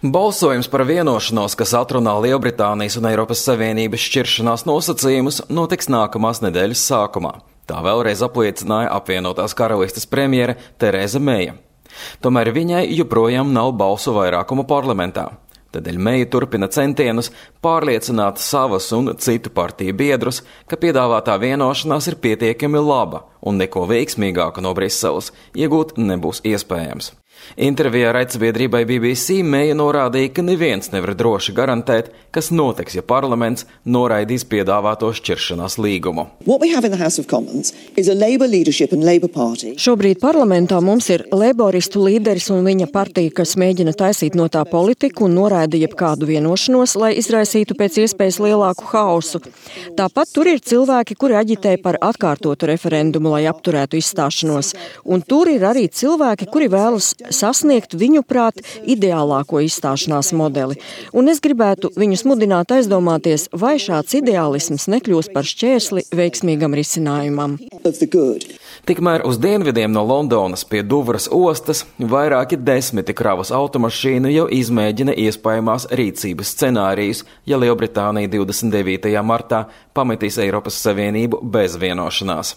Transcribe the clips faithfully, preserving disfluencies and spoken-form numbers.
Balsojums par vienošanos, kas atrunā Lielbritānijas un Eiropas Savienības šķiršanās nosacījumus, notiks nākamās nedēļas sākumā. Tā vēlreiz apliecināja apvienotās karalistes premjere Tereza Meija. Tomēr viņai joprojām nav balsu vairākuma parlamentā. Tādēļ Meija turpina centienus pārliecināt savas un citu partiju biedrus, ka piedāvātā vienošanās ir pietiekami laba un neko veiksmīgāku no Briseles iegūt nebūs iespējams. Intervijā raidsabiedrībai B B C Meija norādīja, ka neviens nevar droši garantēt, kas notiks, ja parlaments noraidīs piedāvāto šķiršanās līgumu. Šobrīd parlamentā mums ir leiboristu līderis un viņa partija, kas mēģina taisīt no tā politiku un noraida jebkādu vienošanos, lai izraisītu pēc iespējas lielāku haosu. Tāpat tur ir cilvēki, kuri aģitē par atkārtotu referendumu, lai apturētu izstāšanos. Un tur ir arī cilvēki, kuri vēlas sasniegt viņuprāt ideālāko izstāšanās modeli. Un es gribētu viņus mudināt aizdomāties, vai šāds ideālisms nekļūs par šķērsli veiksmīgam risinājumam. Tikmēr uz dienvidiem no Londonas pie Duvras ostas vairāki desmiti kravas automašīnu jau izmēģina iespējamās rīcības scenārijus, ja Lielbritānija divdesmit devītajā martā pametīs Eiropas Savienību bez vienošanās.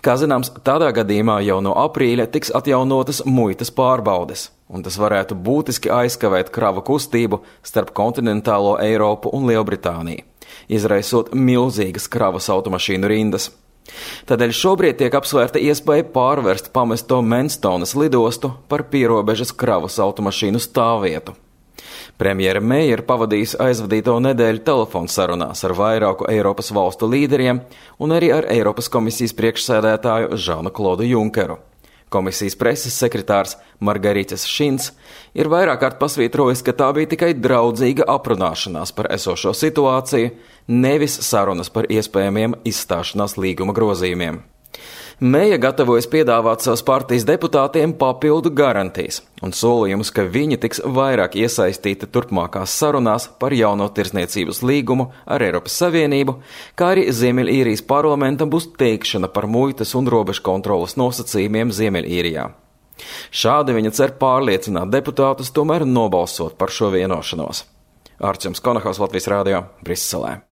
Kā zināms, tādā gadījumā jau no aprīļa tiks atjaunotas muitas pārbaudes, un tas varētu būtiski aizkavēt kravu kustību starp kontinentālo Eiropu un Lielbritāniju, izraisot milzīgas kravas automašīnu rindas. Tādēļ šobrīd tiek apsvērta iespēja pārvērst pamesto Manstonas lidostu par pierobežas kravas automašīnu stāvvietu. Premjere Meija ir pavadījusi aizvadīto nedēļu telefonu sarunās ar vairāku Eiropas valstu līderiem un arī ar Eiropas komisijas priekšsēdētāju Žanu Klodu Junkeru. Komisijas preses sekretārs Margaritis Šins ir vairāk kārt pasvītrojis, ka tā bija tikai draudzīga aprunāšanās par esošo situāciju, nevis sarunas par iespējamiem izstāšanās līguma grozījumiem. Meija gatavojas piedāvāt savas partijas deputātiem papildu garantijas un solījumus, ka viņi tiks vairāk iesaistīti turpmākās sarunās par jauno tirsniecības līgumu ar Eiropas Savienību, kā arī Ziemeļīrijas parlamentam būs teikšana par muitas un robežu kontrolas nosacījumiem Ziemeļīrijā. Šādi viņa cer pārliecināt deputātus tomēr nobalsot par šo vienošanos. Arčuns Konahaus, Latvijas Rādio, Briselē.